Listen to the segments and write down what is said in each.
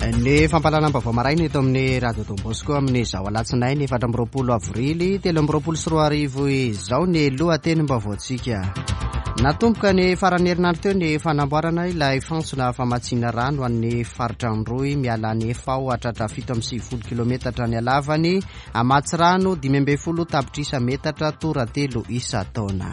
Ny fampahalalam-baovao maraina eto amin'ny Radio Don Bosco amin'izao alatsinainy 24 avrily 2023 izao ny lohatenim-baovaontsika. Natomboka ny faran'ny herinandro teo ny fanamboarana ilay fantsona famatsiana rano an'ny faritra Androy miala any Efao hatratra 97 kilometatra ny halavany, hamatsy rano 15 tapitrisa metatra toratelo isan-taona.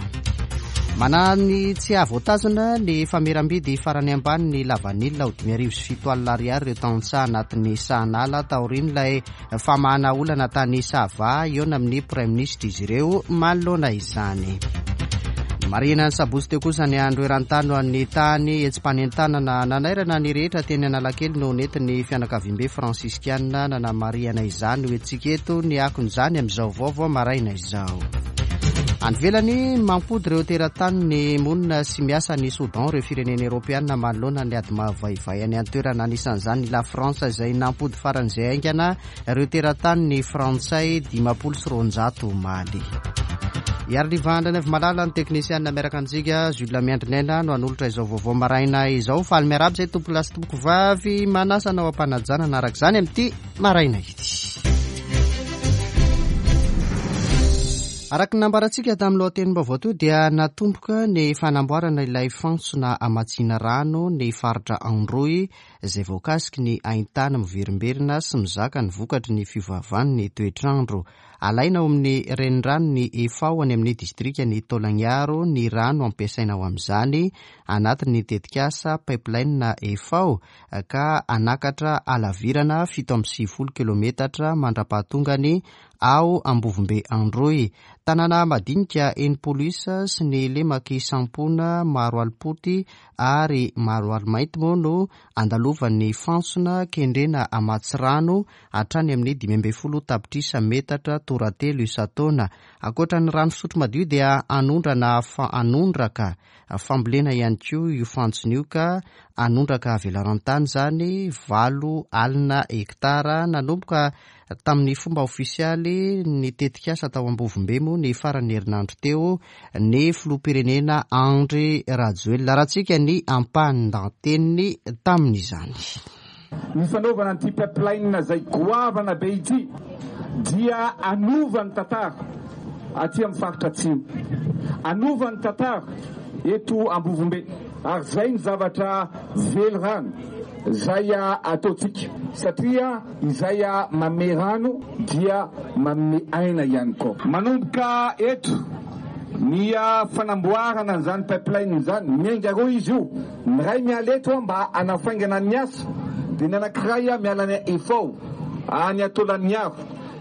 Manany tsy hahavoatazona ny fameram-bidy farany ambany ny lavanila ho 5700 ariary ireo tantsaha anatin'ny sahanala taorian'ilay famahana olana tany Sava hihaona amin'ny praiminisitra izy ireo manoloana izany. Marihina ny sabotsy teo kosa ny andro eran-tany ho an'ny tany hetsi-panentanana nanairana ny rehetra teny Analakely no nentin'ny fianakaviambe fransiskiana nanamarihana izany ho entintsika eto ny akon'izany amin'izao vaovao maraina izao. Any ivelany, mampody ireo teratany monina sy miasa any Soudan ireo firenena eoropeana manoloana ny ady mahavaivay any an-toerana, anisan'izany i La France izay nampody faran'izay haingana ireo teratany frantsay 250 omaly. Iarivandra Andrianavimalala ny teknisianina miaraka amintsika, Jules Miandrinaina no hanolotra izao vaovao maraina izao. Faly miarahaba izay tompolahy sy tompokovavy manasa anao am-panajana hanaraka izany amin'ity maraina ity. Araka ny nambarantsika tamin'ny lohatenim-baovao teo dia natomboka ny fanamboarana ilay fantsona hamatsiana rano ny faritra Androy izay voakasiky ny haintany miverimberina sy mizaka ny vokatry ny fiovaovan'ny toetr'andro. Alaina ao amin'ny reniranon'i Efao any amin'ny distrikan'i Taolagnaro ny rano ampiasaina ho amin'izany anatin'ny tetikasa Pipeline Efao ka hanakatra halavirana 97 kilometatra mandra-pahatongany ao Ambovombe Androy. Tanàna madinika 60 isa sy ny lemak'i Sampona, Maroalipoty ary Maroalimainty moa no andalovan'ny fantsona kendrena hamatsy rano hatrany amin'ny 15 tapitrisa metatra toratelo isan-taona. Ankoatra ny rano fisotro madio dia hanondrana hanondraka fambolena ihany koa io fantsona io ka hanondraka velaran-tany izany 80 hektara. Nanomboka tamin'ny fomba ofisialy ny tetikasa tao Ambovombe moa ny faran'ny herinandro teo ny filoham-pirenena Andry Rajoelina. Arahantsika ny ampahan-dahateniny tamin'izany. Ny fanaovana an'ity pipeline izay goavana be ity dia hanova ny tantara aty amin'ny faritra atsimo, hanova ny tantara eto Ambovombe ary izay ny zavatra velirano izay ataontsika satria izay manome rano dia manome aina ihany koa. Manomboka eto ny fanamboarana an'izany pipeline izany, miainga roa izy io. Ny iray miala eto mba hanafaingana ny asa, dia ny anankiray miala any Efao, any Taolagnaro,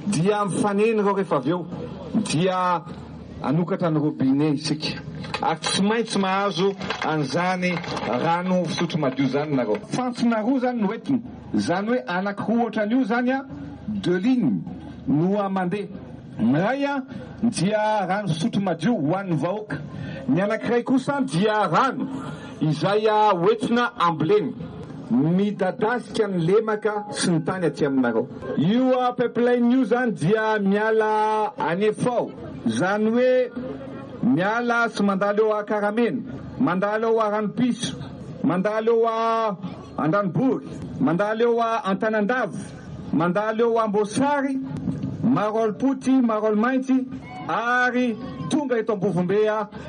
dia mifanena ireo rehefa avy eo, dia hanokatra ny robinet isika, ary tsy maintsy mahazo an'izany rano fisotro madio izany nareo. Fantsona roa izany no entina, izany hoe anankiroa ohatran'io izany, deux lignes, no mandeha. Ny iray dia rano fisotro madio ho an'ny vahoaka, ny anankiray kosa dia rano izay hoentina ambolena. Midadasika ny lemaka sy ny tany aty aminareo. Io pipeline io izany dia miala any Efao, izany hoe miala sy mandalo eo Ankaramena, mandalo eo Aranopiso, mandalo eo Andranobory, mandalo eo Antanandava. Mandalo eo Amboasary, Maroalipotsy, Maroalimainty ary tonga eto Ambovombe.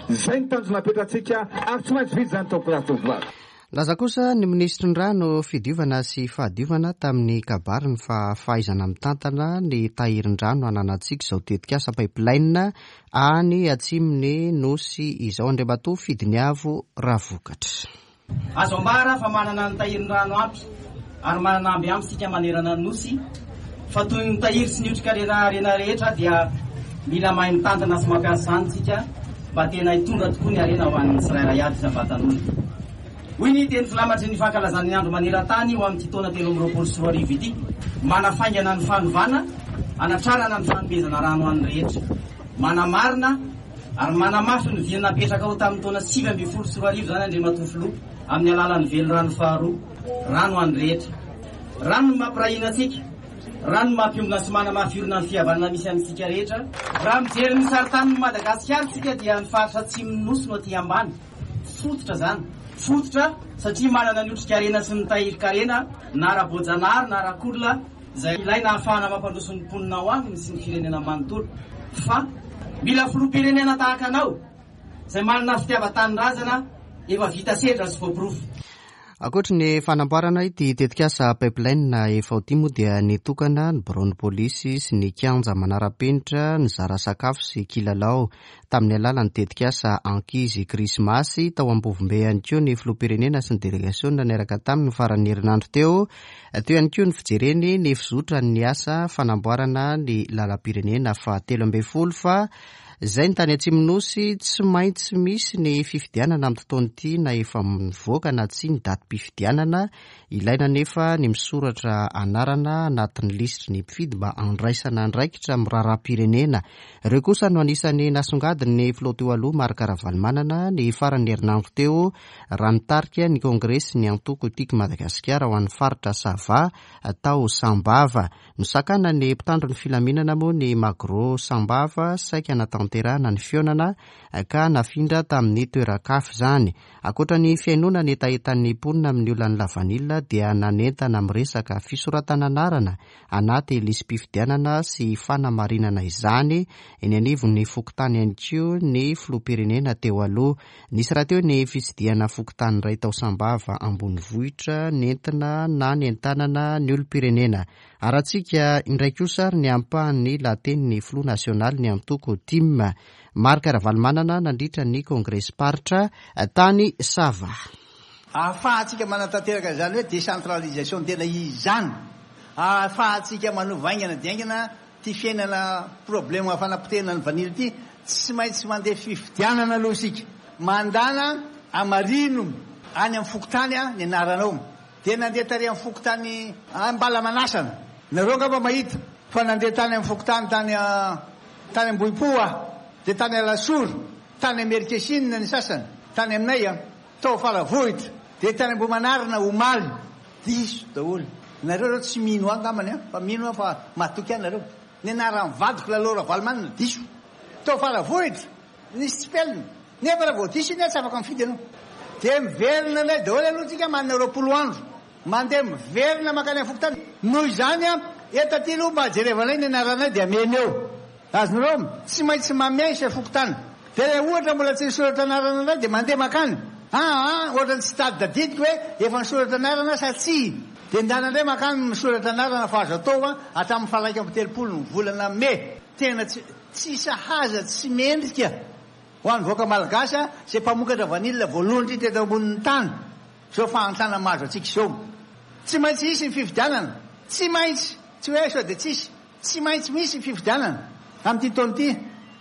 Izay ny tanjona apetratsika ary tsy maintsy vita izany tompokolahy sy tompokovavy. Nilaza kosa ny minisitry ny Rano, Fidiovana sy Fahadiovana tamin'ny kabariny fa fahaizana mitantana ny tahirin-drano ananantsika izao tetikasa pipeline any atsimon'ny Nosy izao, Andriamatoa Fidiniavo Ravokatra. Azo ambara fa manana ny tahirin-drano ampy ary manana amby ampy isika manerana ny Nosy, fa toy ny tahiry sy ny otrikarena harena rehetra dia mila mahay mitantana sy mampiasa izany isika mba tena hitondra tokoa ny harena ho an'ny tsirairay avy isam-batan'olona. Hoy ny teny filamatry ny fankalazana ny andro maneran-tany ho amin'ity taona 2023 ity, manafaingana ny fanovana, hanatrarana ny fanomezana rano ho an'ny rehetra. Manamarina Ary manamafy ny vina napetraka ho tamin'ny taona 2019 izany Andriamatoa Filoha amin'ny alalan'ny velirano faharoa, rano ho an'ny rehetra. Rano no mampiray hina antsika, rano no mampiombona sy manamafy orina ny fihavanana misy amintsika rehetra. Raha mijery ny sarintanin'i Madagasikara isika dia ny faritra atsimon'ny Nosy no aty ambany, fototra izany. Fototra satria manana ny otrikarena sy ny tahirin-karena na ara-boajanahary na ara-kolona izay ilaina ahafahana mampandroso ny mponina ao aminy sy ny firenena manontolo. Fa mila filoham-pirenena tahaka anao izay manana fitiavan-tanindrazana efa vita sedra sy voaporofo. Ankoatry ny fanamboarana ity tetikasa pipeline efa ity moa dia nitokana ny biraon'ny polisy sy ny kianja manara-penitra nizara sakafo sy kilalao tamin'ny alalan'ny tetikasa Ankizy Krismasy tao Ambovombe ihany koa ny filoham-pirenena sy ny delegasiona niaraka taminy ny faran'ny herinandro teo. Teo ihany koa ny fijereny ny fizotran'ny asa fanamboarana ny lalam-pirenena fahatelo ambin'ny folo fa izay ny tany Atsimon'ny Nosy. Tsy maintsy misy ny fifidianana amin'ity taona ity na efa mivoaka na tsia ny datim-pifidianana. Ilaina nefa ny misoratra anarana anatin'ny lisitry ny mpifidy mba handraisana andraikitra amin'ny raharaham-pirenena. Ireo kosa no anisan'ny nasongadin'ny filoha teo aloha Marc Ravalomanana ny faran'ny herinandro teo raha nitarika ny kongresy ny antoko Tiako Madagasikara ho an'ny faritra Sava tao Sambava. Nosakana ny mpitandro ny filaminana moa ny Magro Sambava saika hanatanterahana ny fihaonana ka nafindra tamin'ny toeran-kafa izany. Ankoatra ny fihainoana ny hetahetan'ny mponina amin'ny olan'ny lavanila dia nanentana miresaka fisoratana anarana anaty lisi-pifidianana sy fanamarinana izany eny anivon'ny fokontany ihany koa ny filoham-pirenena teo aloha. Nisy rahateo ny fitsidihana fokontany iray tao Sambava ambonivohitra nentina nanentanana ny olom-pirenena. Arahantsika indray kosa ary ny ampahan'ny lahatenin'ny filoha nasionalin'ny antoko tim, Marc Ravalomanana nandritra ny kongresim-paritra tany Sava. Ahafahantsika manatanteraka izany hoe décentralisation tena izy izany, ahafahantsika manova haingana dia haingana Ity fiainana problème fanapotehana ny vanille ity, tsy maintsy mandeha fifidianana aloha isika. Mandana amarino any amin'ny fokontany ny anaranao. Dia nandeha tary amin'ny fokontany Ambalamanasana. Nareo angamba mahita fa nandeha tany amin'ny fokontany tany tany Ambohipo aho. Dia tany Alasora, tany Amerikesinina ny sasany, tany aminay an, tao Faravohitra, dia tany Ambohimanarina omaly. Diso daholo. Nareo reo tsy mino ahy angambany an, fa mino aho fa matoky ahy nareo. Ny anaran'ny vadiko Lalao Ravalomanana diso. Tao Faravohitra nisy tsipelina. Nefa raha vao diso iny an tsy afaka mifidy ianao. Dia miverina indray daholo aloha tsika manana 20 andro. Mandeha miverina mankany amin'ny fokontany. Noho izany an, eto aty aloha mba jerevanay ny anaranay dia ameno eo. Azonareo? Tsy maintsy mamehy chef fokontany. Dia raha ohatra mbola tsy nisoratra anarana indray dia mandeha makany. Aa ohatran'ny tsy tadidadidiko hoe efa nisoratra anarana sa tsia. Dia ndana indray makany misoratra anarana fa azo atao an, hatramin'ny faha 31 ny volana mey. Tena tsy tsy sahaza tsy mendrika ho an'ny vahoaka malagasy an, izay mpamokatra vanille voalohany indrindra eto ambonin'ny tany izao fahantrana mahazo antsika izao. Tsy maintsy hisy ny fifidianana. Tsy maintsy! Tsy hoe sao dia tsisy. Tsy maintsy misy ny fifidianana amin'ity taona ity.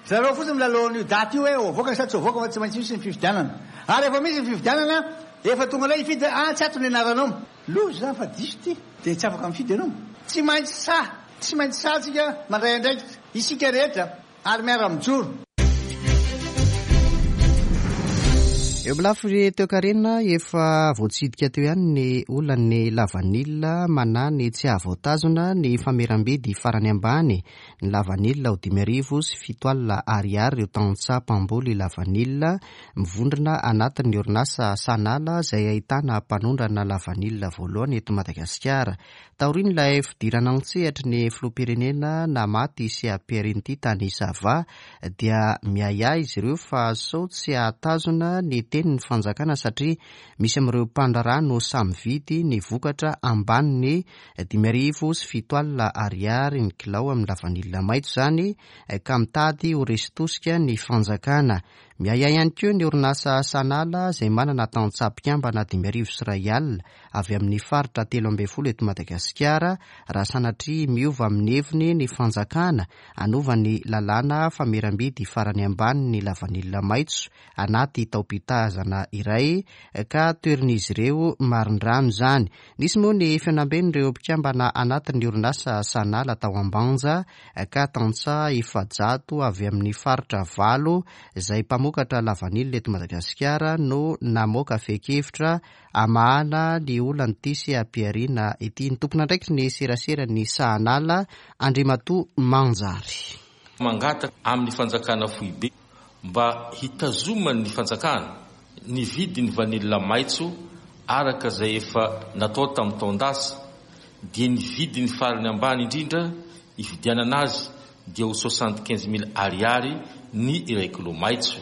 Zareo fotsiny milalao an'io daty io hoe ho avoaka sa tsy ho avoaka fa tsy maintsy misy ny fifidianana. Ary rehefa misy ny fifidianana, efa tonga indray hifidy hoe ah tsy ato ny anaranao. Loza izany fa diso ity. Dia tsy afaka mifidy ianao. Tsy maintsy sahy, tsy maintsy sahy tsika mandray andraikitra, isika rehetra. Ary miara-mijoro. Eo amin'ny lafiny toekarena, efa voatsidika teo ihany ny olan'ny lavanila manahy ny tsy hahavoatazona ny fameram-bidy farany ambany ny lavanila ho 7500 ariary ireo tantsaha mpamboly lavanila mivondrona anatin'ny orinasa Sanala izay ahitana mpanondrana lavanila voalohany eto Madagasikara. Taorian'ilay fidirana an-tsehatry ny filoham-pirenena namaty CAPRNT tany Sava dia miahiahy izy ireo fa sao tsy hahatazona ny tenin'ny fanjakana satria misy amin'ireo mpandraharaha no samy mividy ny vokatra ambanin'ny 7500 ariary ny kilao amin'ny lavanila maitso izany ka mitady ho resy tosika ny fanjakana. Miahiahy ihany koa ny orinasa Sanala izay manana tantsaha mpikambana 5100 avy amin'ny faritra 13 eto Madagasikara raha sanatria miova amin'ny heviny ny fanjakana hanova ny lalàna fameram-bidy farany ambany ny lavanila maitso anaty taom-pitazana iray ka toherin'izy ireo marindrano izany. Nisy moa ny fihaonamben'ireo mpikambana anatin'ny orinasa Sanala tao Ambanja ka tantsaha 400 avy amin'ny faritra valo izay mpamokatra lavanila eto Madagasikara no namoaka fehin-kevitra Hamahana ny olan'ity seha-pihariana ity ny tompon'andraikitry ny seraseran'ny Sahanala, Andriamatoa Manjary. Mangataka amin'ny fanjakana foibe mba hitazoman'ny fanjakana ny vidin'ny vanila maitso araka izay efa natao tamin'ny taon-dasa dia ny vidiny farany ambany indrindra hividianana azy dia ho 75 mille ariary ny iray kilao maitso.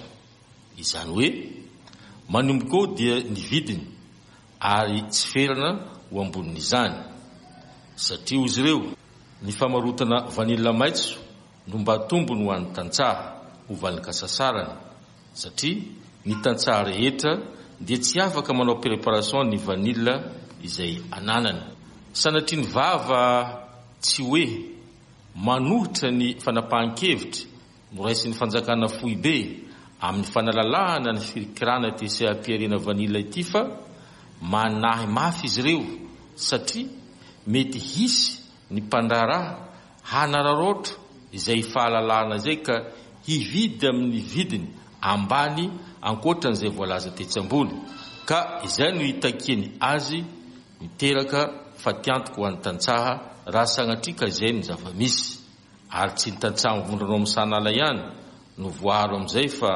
Izany hoe manomboka eo dia ny vidiny ary tsy ferana ho ambonin'izany. Satria hoy izy ireo, ny famarotana vanila maitso no mba tombony ho an'ny tantsaha ho valin-kasasarany satria ny tantsaha rehetra dia tsy afaka manao préparation ny vanila izay ananany. Sanatria ny vava tsy hoe manohitra ny fanapahan-kevitra noraisin'ny fanjakana foibe amin'ny fanalalahana ny firikirana ity seha-pihariana vanila ity fa manahy mafy izy ireo satria mety hisy ny mpandraharaha hanararaotra izay fahalalahana izay ka hividy amin'ny vidiny ambany ankoatran'izay voalaza tetsy ambony ka izay no hitakiany azy miteraka fatiantoka ho an'ny tantsaha raha sanatria ka izay no zava-misy. Ary tsy ny tantsaha mivondrona ao amin'ny sahanala ihany no voaaro amin'izay fa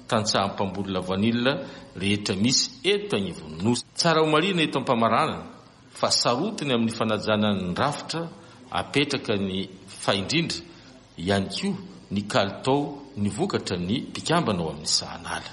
tantsaha mpamboly lavanila rehetra misy eto agnivon'ny Nosy. Tsara ho marihina eto am-pamaranana fa sarotiny amin'ny fanajana ny rafitra apetraka ny fa indrindra ihany koa ny kalitao ny vokatra ny mpikambana ao amin'ny sahanala.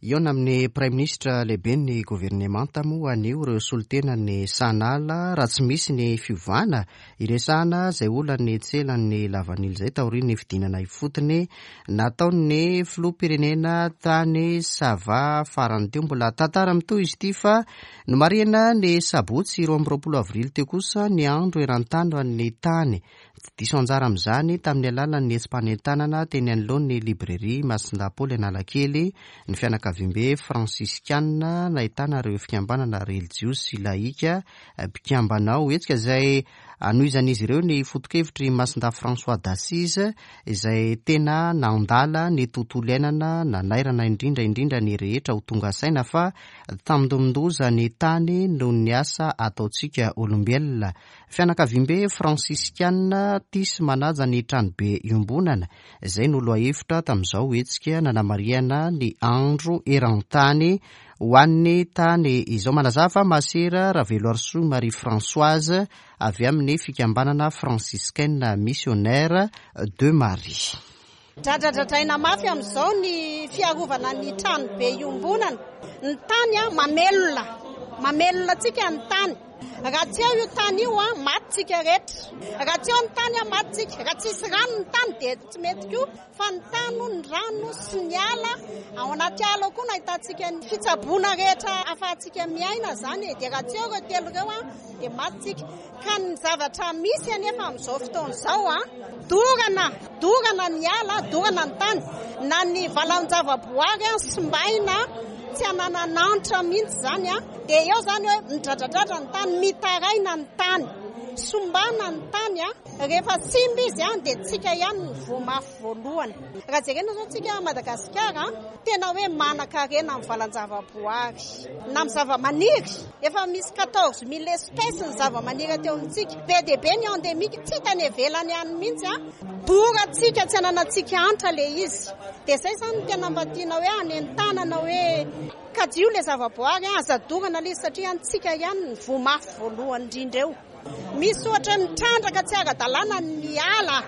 Hihaona amin'ny Praiminisitra lehiben'ny governemanta moa anio ireo solontenan'ny Sahanala raha tsy misy ny fiovana hiresahana izay olan'ny tselan'ny lavanila izay taorian'ny fidinana ifotony nataon'ny filoham-pirenena tany Sava farany teo. Mbola tantara mitohy izy ity fa nomarihina ny sabotsy 22 avrily teo kosa ny andro eran-tany ho an'ny tany. Tsy diso anjara amin'izany tamin'ny alalan'ny hetsi-panentanana teny anoloan'ny Librairie Masindahy Paoly Analakely ny fianakaviambe Fransiskana nahitana ireo fikambanana relijiozy sy lahika mpikambana ao. Hetsika izay anohizan'izy ireo ny foto-kevitr'i Masindahy François d'Assise izay tena nandala ny tontolo iainana, nanairana indrindra indrindra ny rehetra ho tonga saina fa tandindomin-doza ny tany noho ny asa ataontsika olombelona. Fianakaviambe Fransiskana tia sy manaja ny tranobe iombonana, izay no lohahevitra tamin'izao hetsika nanamarihana ny andro eran-tany ho an'ny tany izao. Manazava Masera Raveloarisoa Marie Françoise avy amin'ny fikambanana Franciscaine Missionnaire de Marie. Dradradradraina mafy amin'izao ny fiarovana ny tranobe iombonana. Ny tany mamelona, mamelona antsika ny tany. Raha tsy eo io tany io, maty tsika rehetra. Raha tsy eo ny tany, maty tsika. Raha tsisy rano ny tany dia tsy mety koa. Fa ny tany, ny rano sy ny ala, ao anaty ala ao koa no ahitantsika ny fitsaboana rehetra ahafahantsika miaina izany e. Dia raha tsy eo ireo telo ireo dia maty tsika. Ka ny zavatra misy anefa amin'izao fotoana izao, dorana, dorana ny ala, dorana ny tany, na ny valan-javaboary simbaina, tsy ananan'antra mihitsy izany, dia eo izany hoe midradradradra ny tany, mitaraina ny tany, sombana ny tany, rehefa simba izy dia tsika ihany no voa mafy voalohany. Raha jerena izao tsika Madagasikara, tena hoe manan-karena amin'ny valan-javaboary, na amin'ny zava-maniry, efa misy 14 000 espèces ny zava-maniry aty amintsika, be dia be ny endémique, tsy hita any ivelany any mihitsy, dorantsika tsy ananantsika antra ilay izy. Dia izay izany no tena mba tiana hoe hanentanana hoe kajio ilay zavaboary, aza dorana ilay izy satria antsika ihany ny voa mafy voalohany indrindra eo. Misy ohatra hoe mitrandraka tsy ara-dalàna ny ala,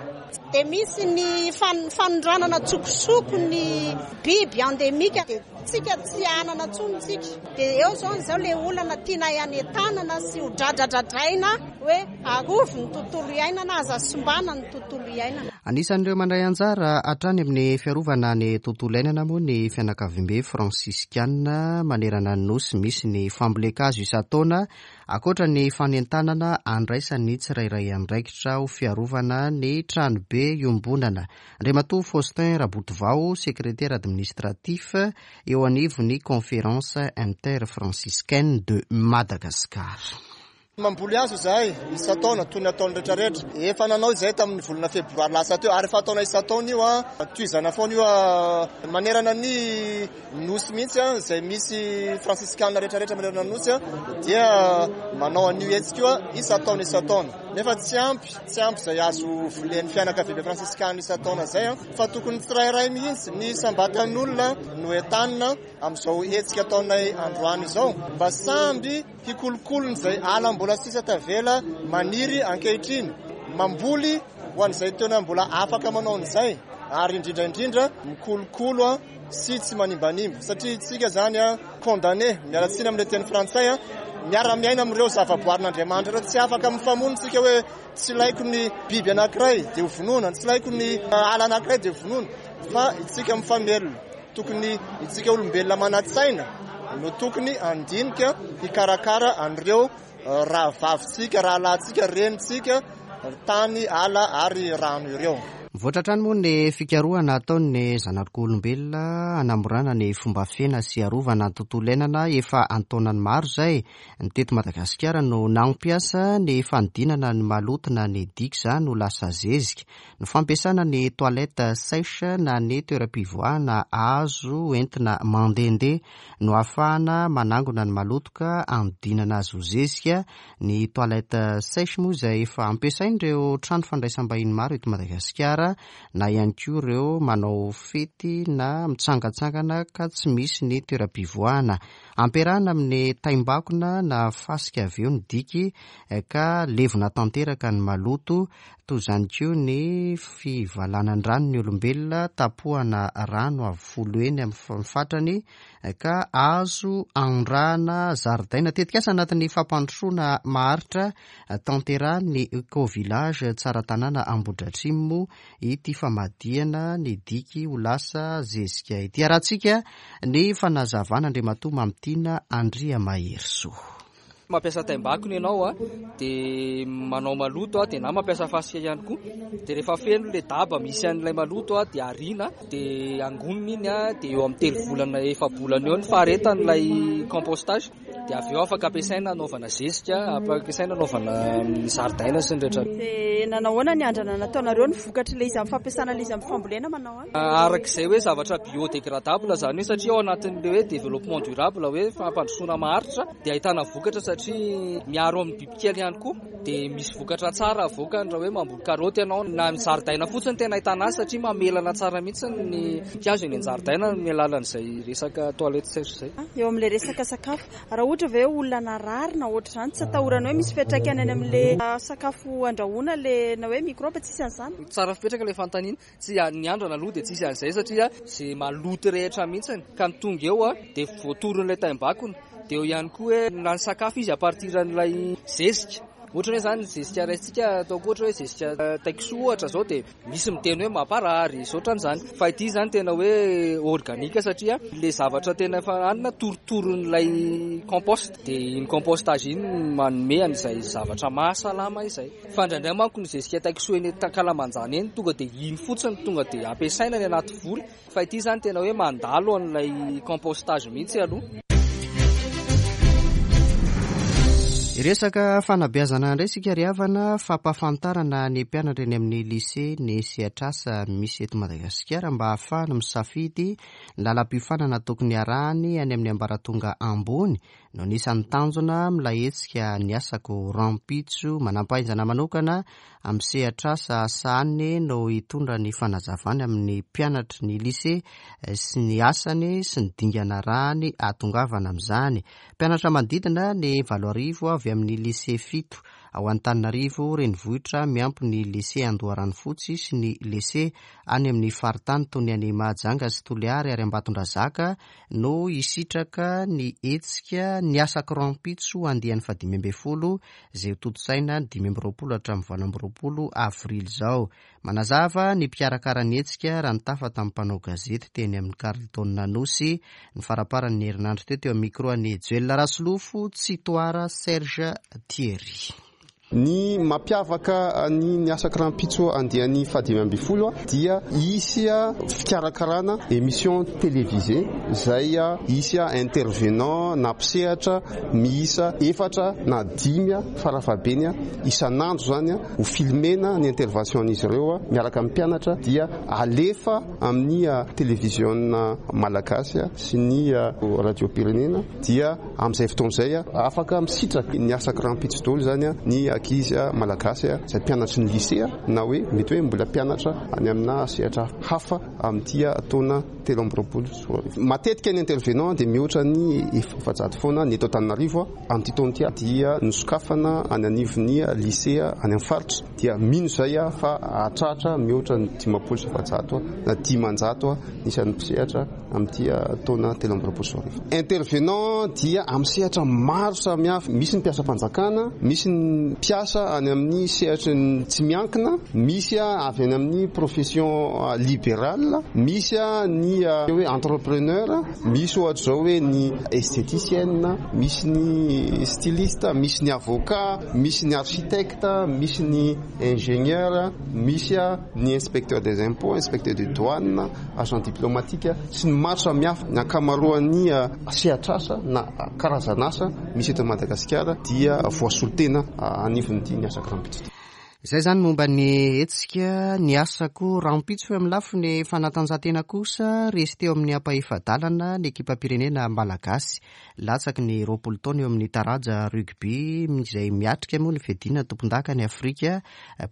dia misy ny fanondranana an-tsokosoko ny biby endémique, dia tsika tsy hanana intsony tsika. Dia eo izao izao ilay olana tianay hanentanana sy ho dradradradraina hoe arovy ny tontolo iainana, aza simbana ny tontolo iainana. Anisan'ireo mandray anjara hatrany amin'ny fiarovana ny tontolo iainana moa ny fianakaviambe fransiskana manerana ny Nosy. Misy ny fambolen-kazo isan-taona ankoatra ny fanentanana andraisan'ny tsirairay andraikitra ho fiarovana ny tranobe iombonana. Andriamatoa Faustin Rabotovao, secrétaire administratif eo anivon'ny Conférence Interfranciscaine de Madagascar. Mamboly hazo izahay isan-taona toy ny ataon'ny rehetrarehetra. Efa nanao izahay tamin'ny volana febroary lasa teo ary efa ataonay isan-taona io, tohizana foana io manerana ny Nosy mihitsy, izay misy fransiskana rehetrarehetra manerana ny Nosy dia manao an'io hetsika io isan-taona isan-taona. Nefa tsy ampy, tsy ampy izay azo volen'ny fianakaviambe fransiskana isan-taona izay fa tokony tsirairay mihitsy ny isam-batan'olona no entanina amin'izao hetsika ataonay androany izao mba samby hikolokolony izay ala mbola sisa tavela maniry ankehitriny, mamboly ho an'izay tena mbola afaka manao an'izay ary indrindra indrindra mikolokolo sy tsy manimbanimba satria isika izany condamné, miala tsiny amin'ilay teny frantsay, miara-miaina amin'ireo zavaboarin'Andriamanitra ireo, tsy afaka mifamono isika hoe tsy ilaiko ny biby anankiray dia ho vonoina, tsy ilaiko ny ala anankiray dia ho vonoina fa isika mifamelona. Tokony itsika olombelona manan-tsaina no tokony handinika hikarakara an'ireo rahavavintsika, rahalahintsika, renintsika, tany, ala ary rano ireo. Mivoatra hatrany moa ny fikarohana ataon'ny zanak'olombelona hanamorana ny fomba fiaina sy hiarovana ny tontolo iainana efa an-taonany maro izay. Ny teto Madagasikara no nampiasa ny fanodinana ny maloto na ny diky izany ho lasa zezika. Ny fampiasana ny toilette sèche na ny toeram-pivoahana azo entina mandehandeha no ahafahana manangona ny maloto ka anodinana azy ho zezika. Ny toilette sèche moa izay efa ampiasain'ireo trano fandraisam-bahiny maro eto Madagasikara na ihany koa ireo manao fety na mitsangantsangana ka tsy misy ny toeram-pivoahana. Ampiarahana amin'ny taimbakona na fasika avy eo ny diky ka levona tanteraka ny maloto. Toy izany koa ny fivalanan-drano ny olombelona, tapohana rano avo folo heny amin'ny fatrany ka azo anondrahana zaridaina. Tetikasa anatin'ny fampandrosoana maharitra tanterahin'ny Eco Village Tsaratanàna Ambohidratrimo moa ity famadihana ny diky ho lasa zezika ity. Arahantsika ny fanazavan'Andriamatoa Mamitiana Andriamaherisoa. Mampiasa taimbakona ianao a, dia manao maloto a, dia na mampiasa fasika ihany koa. Dia rehefa feno ilay daba misy an'ilay maloto a, dia ariana, dia angonina iny a, dia eo amin'ny telo volana efa-bolana eo ny faharetan'ilay compostage. Dia avy eo afaka ampiasaina hanaovana zezika, afaka ampiasaina hanaovana zaridaina sy ny rehetra. Dia nanahoana ny andrana nataonareo ny vokatr'ilay izy amin'ny fampiasana ilay izy amin'ny fambolena manao ahoana? Araka izay hoe zavatra biodégradable izany hoe satria ao anatin'ilay hoe développement durable hoe fampandrosoana maharitra dia ahitana vokatra satria miaro amin'ny bibikely ihany koa dia misy vokatra tsara avoakany raha hoe mamboly karaoty ianao na ny zaridaina fotsiny tena ahitana azy satria mamelana tsara mihitsy ny voninkazo eny an-jaridaina amin'ny alalan'izay resaka toilette sèche izay. Eo amin'ilay resaka sakafo, raha ohatra ve olona narary na ohatr'izany tsy atahorana hoe misy fiantraikany any amin'ilay sakafo andrahoina ilay na hoe microbe, tsisy an'izany? Tsara fipetraka ilay fanontaniana. Tsy ny andrana aloha dia tsisy an'izay satria ze maloto rehetra mihitsiny ka ny tonga eo dia voatoron'ilay taimbakona. Dia eo ihany koa hoe na ny sakafo izy à partir an'ilay zezika. Ohatra hoe izany ny zezika raisintsika ataoko ohatra hoe zezika taikisoa ohatra izao dia misy miteny hoe mamparary izao ohatran'izany. Fa ity izany tena hoe organique satria ilay zavatra tena efa hanina torotoron'ilay compost. Dia iny compostage iny manome an'izay zavatra mahasalama izay. Fa indraindray manko ny zezika taikisoa eny ankalamanjana eny tonga dia iny fotsiny tonga dia ampiasaina any anaty voly fa ity izany tena hoe mandalo an'ilay compostage mihitsy aloha. Hiresaka fanabeazana indray isika ry havana, fampahafantarana ny mpianatra eny amin'ny lycée ny sehatr'asa misy eto Madagasikara mba hahafahany misafidy ny lalam-piofanana tokony harahany any amin'ny ambaratonga ambony no anisan'ny tanjona amin'ilay hetsika Ny Asako Rahampitso. Manampahaizana manokana amin'ny sehatr'asa sahaniny no hitondra ny fanazavany amin'ny mpianatry ny lycée sy ny asany sy ny dingana arahany hahatongavana amin'izany. Mpianatra manodidina ny 8000 avy amin'ny lycée fito ao Antananarivo renivohitra miampy ny lycée Andoharanofotsy sy ny lycée any amin'ny faritany toy ny any Mahajanga sy Toliary ary Ambatondrazaka no hisitraka ny hetsika Ny Asako Rahampitso andiany faha-15 izay hotontosaina ny 25 hatramin'ny 28 avrily izao. Manazava ny mpikarakara ny hetsika raha nitafa tamin'ny mpanao gazety teny amin'ny Carlton Anosy ny faramparan'ny herinandro teo teo amin'ny micro an'i Joel Rasolofo Tsitoara Serge Thierry. Ny mampiavaka ny Ny Asako Rahampitso andiany faha-15 dia hisy fikarakarana émission télévisée izay hisy intervenant na mpisehatra miisa efatra na dimy farafahabeny isan'andro izany ho filmena ny intervention-n'izy ireo miaraka amin'ny mpianatra dia alefa amin'ny televiziona malagasy sy ny radiom-pirenena dia Amin'izay fotoana izay, afaka misitraka ny asa rahampitso daholo izany ny ankizy malagasy izay mpianatry ny lycée na hoe mety hoe mbola mpianatra any amina sehatra hafa amin'ity taona 2023. Matetika ny intervenant dia mihoatra ny 400 foana ny eto Antananarivo. Amin'ity taona ity dia nosokafana any anivon'ny lycée any amin'ny faritra dia mino izay aho fa hahatratra mihoatra ny 450 na 500 ny isan'ny mpisehatra amin'ity taona 2023. Intervenant dia amin'ny sehatra maro samihafa, misy ny mpiasam-panjakana, misy ny mpiasa any amin'ny sehatry ny tsy miankina, misy avy any amin'ny profession libérale, misy ny hoe entrepreneur, misy ohatra izao hoe ny esthéticienne, misy ny styliste, misy ny avocat, misy ny architecte, misy ny ingénieur, misy ny inspecteur des impôts, inspecteur de douane, agent diplomatique sy ny maro samihafa. Ny ankamaroan'ny sehatr'asa na karazan'asa misy eto Madagasikara dia voasolo tena anivon'ity Ny Asako Rahampitso ity. Izay izany momba ny hetsika Ny Asako Rahampitso. Eo amin'ny lafiny fanatanjahantena kosa, resy teo amin'ny ampahefa-dalana ny ekipam-pirenena malagasy latsaky ny 20 taona eo amin'ny taranja rugby izay miatrika moa ny fiadiana tompondakan'i Afrika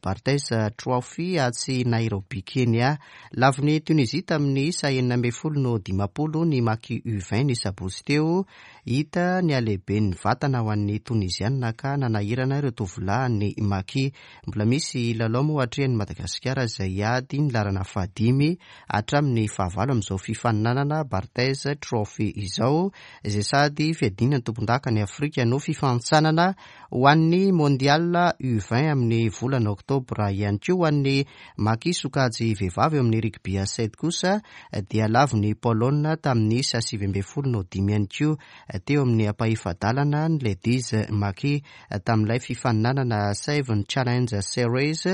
Barthez Trophy atsy Nairobi Kenya. Lavon'i Tunisie tamin'ny isa 16 no 50 ny Maki U20 ny sabotsy teo. Hita ny halehiben'ny vatana ho an'ny Tonizianina ka nanahirana ireo tovolahin'ny Maki. Mbola misy lalao moa hatrehin'i Madagasikara izay hiady ny laharana fahadimy hatramin'ny fahavalo amin'izao fifaninanana Barthez Trophy izao, izay sady fiadiana ny tompondakan'i Afrika no fifanintsanana ho an'ny Mondial U20 amin'ny volana oktobra ihany koa. Ho an'ny Maki sokajy vehivavy eo amin'ny rugby à sept kosa dia lavon'i Polonina tamin'ny isa 19 no dimy ihany koa teo amin'ny ampahefa-dalana ny Ladies Maki tamin'ilay fifaninanana Seven Challenge Series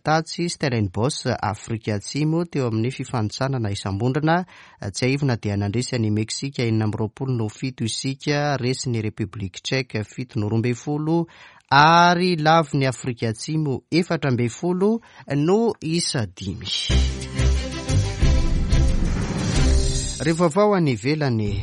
tatsy Stellenbosch, Afrika Atsimo teo amin'ny fifanintsanana isam-bondrona. Tsiahivina dia nandresy an'i Meksika 26 no 7 isika, resin'ny République Tchèque 7 no 12 ary lavon'i Afrika Atsimo 14 no isa dimy. Ireo vaovao any ivelany.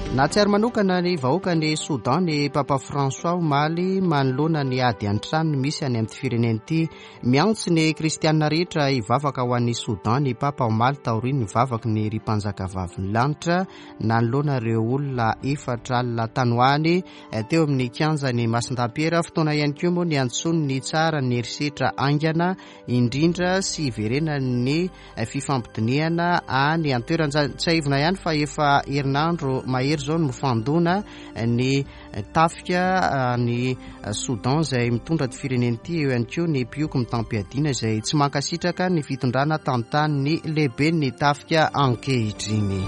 Nahatsiaro manokana ny vahoakan'i Soudan ny Papa François omaly manoloana ny ady an-trano misy any amin'ity firenena ity. Miantso ny kristianina rehetra hivavaka ho an'i Soudan ny Papa omaly taorian'ny vavaky ny ry mpanjakavavin'ny lanitra nanoloana ireo olona 40 tany ho any teo amin'ny kianjan'i Masindahy-Piera. Fotoana ihany koa moa niantsoany ny tsara ny herisetra haingana indrindra sy hiverenan'ny fifampidinihana any an-toerana. Tsiahivina ihany fa efa herinandro mahery izao no mifandona ny tafika any Soudan izay mitondra ity firenena ity, eo ihany koa ny mpioko mitam-piadiana izay tsy mankasitraka ny fitondrana tantanin'ny lehiben'ny tafika ankehitriny.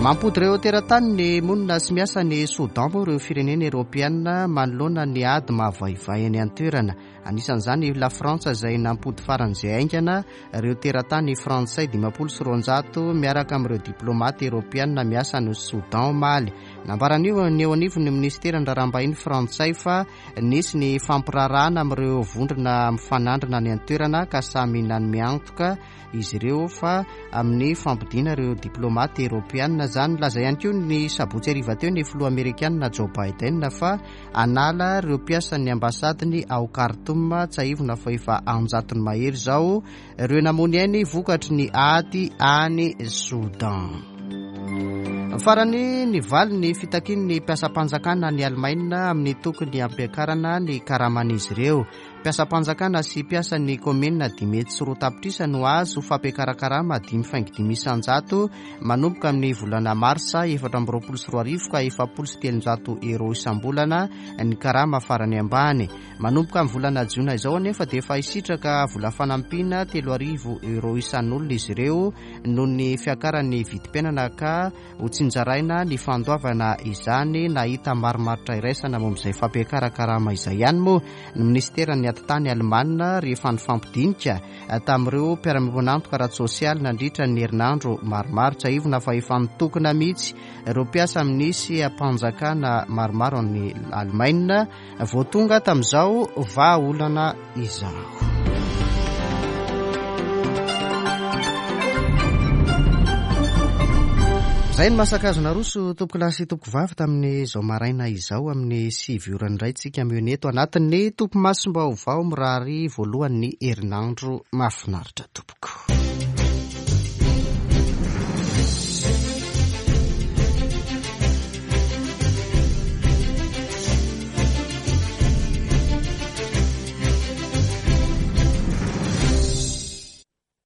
Mampody ireo teratany ny monina sy miasa any Soudan moa ireo firenena Eoropeana manoloana ny ady mahavaivay any an-toerana. Anisan'izany i Lafrantsa izay nampody faran'izay haingana ireo teratany frantsay 250 miaraka amin'ireo diplaomaty Eoropeana miasa any Soudan omaly. Nambaran'io ny eo anivon'ny minisiteran'ny raharaham-bahiny frantsay fa nisy ny fampiraharahana amin'ireo vondrona mifanandrina any an-toerana ka samy nanome antoka izy ireo fa amin'ny fampodiana ireo diplaomaty eoropeanina izany. Nilaza ihany koa ny sabotsy hariva teo ny filoha amerikanina Joe Biden fa hanala ireo mpiasan'ny ambasadiny ao Khartoum. Tsiahivina fa efa an-jatony mahery izao ireo namoy ny ainy vokatry ny ady any Soudan. Farany, nivaly ny fitakian'ny mpiasam-panjakana any Alemaina amin'ny tokony hampiakarana ny karaman'izy ireo. Mpiasam-panjakana sy mpiasan'ny kaominina 205 tapitrisa no hahazo fampiakaran-karama 5,5% manomboka amin'ny volana marsa 2024 ka 340 euros isam-bolana ny karama farany ambany. Manomboka amin'ny volana jona izao anefa dia efa hisitraka vola fanampiana 3000 euros isan'olona izy ireo noho ny fiakaran'ny vidim-piainana ka Ho tsinjaraina ny fandoavana izany. Nahita marimaritra iraisana momba izay fampiakaran-karama izay ihany moa ny minisiteran'ny Atitany Alemana rehefa nifampidinika tamin'ireo mpiara-miombon'antoka ara-tsosialy nandritra ny herinandro maromaro. Tsiahivina fa efa nitokona mihitsy ireo mpiasa amin'ny seha-panjakana maromaro any Alemaina vao tonga tamin'izao vahaolana izao. Izay no masakazo naroso tompokolahy sy tompokovavy tamin'izao maraina izao amin'ny 9 ora indray tsika mihaona eto anatin'ny topimasom-baovao mirary voalohan'ny herinandro mahafinaritra tompoko.